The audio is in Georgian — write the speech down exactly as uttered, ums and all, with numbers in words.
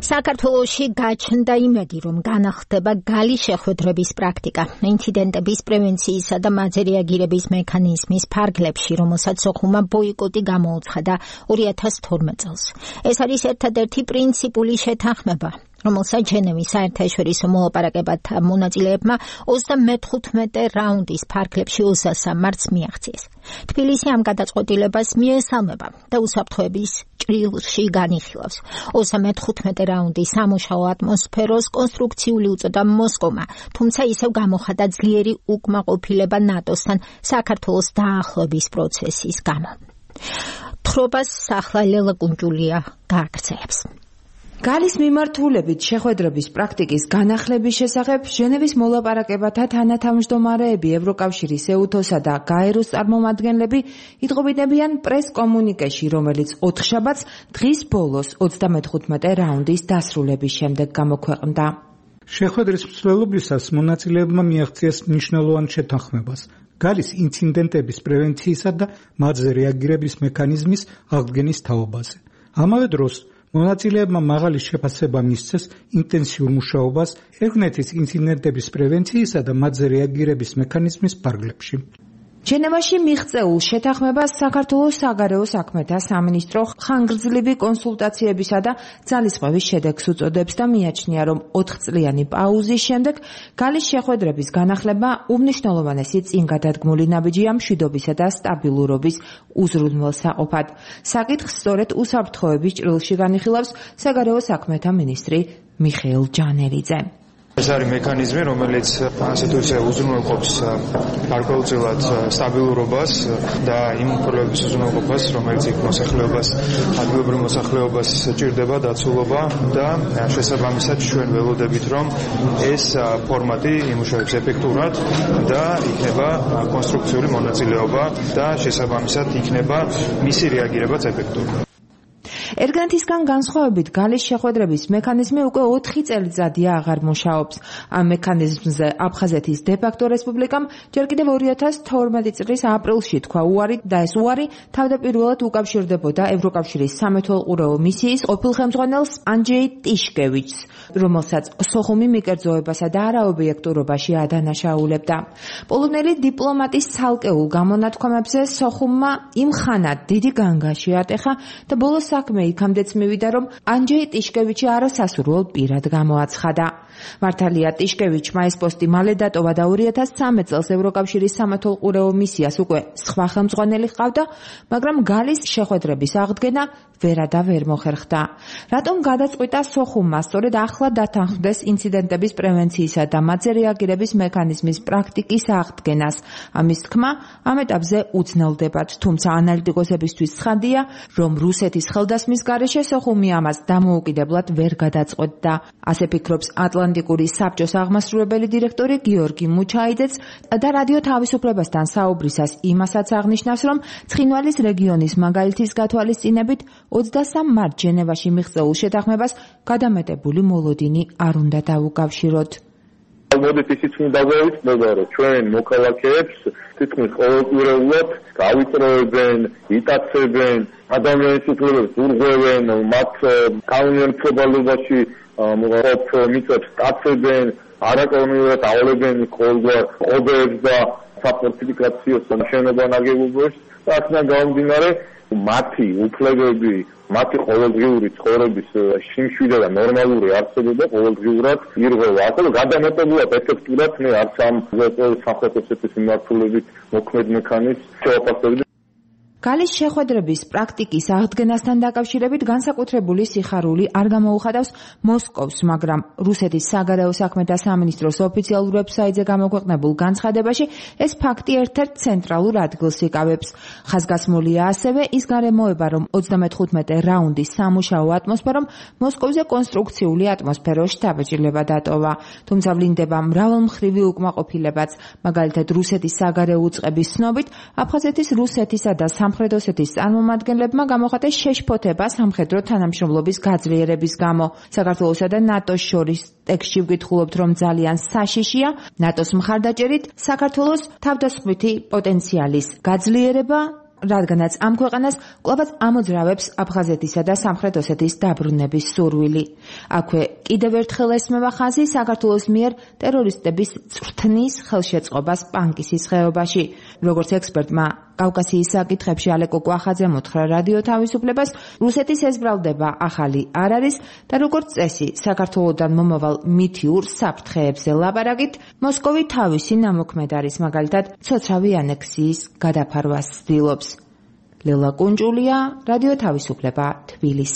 საქართველოში გაჩნდა იმედი, რომ განახლდება გალის შეხვედრების პრაქტიკა, ინციდენტების პრევენციისა და მათზე რეაგირების მექანიზმის ფარგლებში, რომელსაც სოხუმმა ბოიკოტი გამოუცხადა ორი ათას თორმეტ წელს. ეს არის ერთადერთი პრინციპული შეთანხმება, რომელსაც ჟენევის საერთაშორისო მოლაპარაკებათა მონაწილეებმა ოცდამეთხუთმეტე რაუნდის ფარგლებში ოცდასამ მარტს მიაღწიეს. თბილისი ამ გადაწყვეტილებას მიესალმება და უსაფრთხოების ჭრილში განიხილავს. ოცდამეთხუთმეტე რაუნდის სამუშაო ატმოსფეროს კონსტრუქციული უწოდა მოსკოვმა, თუმცა ისევ გამოხატა ძლიერი უკმაყოფილება ნატოსთან საქართველოს დაახლოების პროცესის გამო. თხრობას ახლა ლელა კუნჯულია გააგრძელებს. გალის მიმართულებით შეხვედრების პრაქტიკის განახლების შესახებ ჟენევის მოლაპარაკებათა თანათავმჯდომარეები ევროკავშირის ეუთოსა და გაეროს წარმომადგენლები იტყობინებიან პრეს კომუნიკეში, რომელიც ოთხშაბათს დღის ბოლოს ოცდამეთხუთმეტე რაუნდის დასრულების შემდეგ გამოქვეყნდა. შეხვედრის მსვლელობისას მონაწილეებმა მიაღწიეს მნიშვნელოვან შეთანხმებას გალის ინციდენტების პრევენციისა და მათზე რეაგირების მექანიზმის აღდგენის თაობაზე. ამავე დროს მონაწილეებმა მაღალი შეფასება მისცეს ინტენსიურ მუშაობას ერთმანეთის ინციდენტების პრევენციისა და მათზე რეაგირების მექანიზმის ფარგლებში. ჟენევაში მიღწეულ შეთანხმებას საქართველოს საგარეო საქმეთა სამინისტრო ხანგრძლივი კონსულტაციებისა და ძალისხმევის შედეგს უწოდებს და მიაჩნია, რომ ოთხწლიანი პაუზის შემდეგ გალის შეხვედრების განახლება უმნიშვნელოვანესი წინგადადგმული ნაბიჯია მშვიდობისა და სტაბილურობის უზრუნველსაყოფად. საკითხს სწორედ უსაფრთხოების ჭრილში განიხილავს საგარეო საქმეთა მინისტრი მიხეილ ჯანელიძე. ეს არის მექანიზმი, რომელიც ასე თუ ისე უზრუნველყოფს გარკვეულწილად სტაბილურობას და იმ პრობლემების უზრუნველყოფას, რომელიც იქ მოსახლეობას, ადგილობრივ მოსახლეობას ჭირდება დაცულობა და შესაბამისად ჩვენ ველოდებით, რომ ეს ფორმატი იმუშავებს ეფექტურად და იქნება კონსტრუქციული მონაწილეობა და შესაბამისად იქნება მისი რეაგირებაც ეფექტური. ერთგანთისგან განსხვავებით გალის შეხვედრების მექანიზმი უკვე ოთხი წელიწადია აღარ მუშაობს. ამ მექანიზმზე აფხაზეთის დე-ფაქტო რესპუბლიკამ ჯერ კიდევ ორი ათას თორმეტი წლის აპრილში თქვა უარი და ეს უარი თავდაპირველად უკავშირდებოდა ევროკავშირის სამეთვალყურეო მისიის ყოფილ ხელმძღვანელს ანჯეი ტიშკევიჩს, რომელსაც სოხუმი მიკერძოებასა და არაობიექტურობაში ადანაშაულებდა. პოლონელი დიპლომატის ცალკეულ გამონათქვამებზე სოხუმმა იმხანად დიდი განგაში ატეხა და ბოლოს საქმე იქამდეც მივიდა, რომ ანჯეი ტიშკევიჩი არასასურველ პირად გამოაცხადა. მართალია ტიშკევიჩმა ეს პოსტი მალე დატოვა და ორი ათას ცხრამეტ წელს ევროკავშირის სამეთვალყურეო მისიას უკვე სხვა ხელმძღვანელი ჰყავდა, მაგრამ გალის შეხვედრების აღდგენა ვერა და ვერ მოხერხდა. რატომ გადაწყვიტა სოხუმმა სწორედ ახლა დათანხმდეს ინციდენტების პრევენციისა და მათზე რეაგირების მექანიზმის პრაქტიკის აღდგენას? ამის თქმა ამ ეტაპზე უცნელდებათ, თუმცა ანალიტიკოსებისთვის ცხადია, რომ რუსეთის ხელდასმის გარეშე სოხუმი ამას დამოუკიდებლად ვერ გადაწყვეტდა. ასე ფიქრობს ატლანტიკური საბჭოს აღმასრულებელი დირექტორი გიორგი მუჩაიძეც და რადიო თავისუფლებასთან საუბრისას იმასაც აღნიშნავს, რომ ცხინვალის რეგიონის მაგალითის გათვალისწინებით ოცდასამ მარტს ჟენევაში მიღწეულ შეთანხმებას გადამეტებული მოლოდინი არ უნდა დაუკავშიროთ. მოდით ისიც უნდა გავიცნობა, რომ ჩვენ მოქალაქეებს თითქმის ყოველკვირეულად გავიწროებენ, იტაცებენ, ადამიანის უფლებებს ურღვევენ, მათ კანონმდებლობაში მოყოლ მიწებს სტაცებენ, არაკანონიურად ავლებენ ყოველგვარ ყობებს და საფორტიფიკაციო შენობა ნაგებობებს და აქედან გამომდინარე მათი უფლებები, მათი ყოველდღიური ცხოვრების სიმშვიდე და ნორმალური არსებობა ყოველდღიურად ირღვევა. ახლა გადამეტებულად ეფექტურად მე არც ამ სამხრეთ ოსეთის მიმართულებით მოქმედ მექანიზმს შევაფასებდი. გალის შეხვედრების პრაქტიკის აღდგენასთან დაკავშირებით განსაკუთრებული სიხარული არ გამოუხადავს მოსკოვს, მაგრამ რუსეთის საგარეო საქმეთა სამინისტროს ოფიციალურ ვებსაიტზე გამოქვეყნებულ განცხადებაში ეს ფაქტი ერთ-ერთ ცენტრალურ ადგილს იკავებს. ხაზგასმულია ასევე ის გარემოება, რომ ოცდამეთხუთმეტე რაუნდის სამუშაო ატმოსფერომ მოსკოვზე კონსტრუქციული ატმოსფეროს შთაბეჭდილება დატოვა. თუმცა ვლინდება მრავალმხრივი უკმაყოფილებაც, მაგალითად რუსეთის საგარეო უწყების ცნობით, აფხაზეთის რუსეთისა და სამხრეთ ოსეთის წარმომადგენლებმა გამოხატეს შეშფოთება სამხედრო თანამშრომლობის გაძლიერების გამო. საქართველოსა და ნატოს შორის ტექსტში ვკითხულობთ, რომ ძალიან საშიშია ნატოს მხარდაჭერით საქართველოს თავდასხმითი პოტენციალის გაძლიერება რადგანაც ამ ქვეყანას კვლავაც ამოძრავებს აფხაზეთისა და სამხრეთ ოსეთის დაბრუნების სურვილი. აქვე კიდევ ერთხელ ესმევა ხაზი საქართველოს მიერ ტერორისტების წვრთნის ხელშეწყობას პანკისის ხეობაში. როგორც ექსპერტმა კავკასიის საკითხებში ალეკო კვახაძემ უთხრა რადიო თავისუფლებას, რუსეთის ეს ბრალდება ახალი არ არის და როგორც წესი, საქართველოდან მომავალ მითიურ საფრთხეებზე ლაპარაკით, მოსკოვი თავისი ნამოქმედ არის, მაგალითად, ცოცხალი ანექსიის გადაფარვას ცდილობს. ლელა კუნჭულია, რადიო თავისუფლება, თბილისი.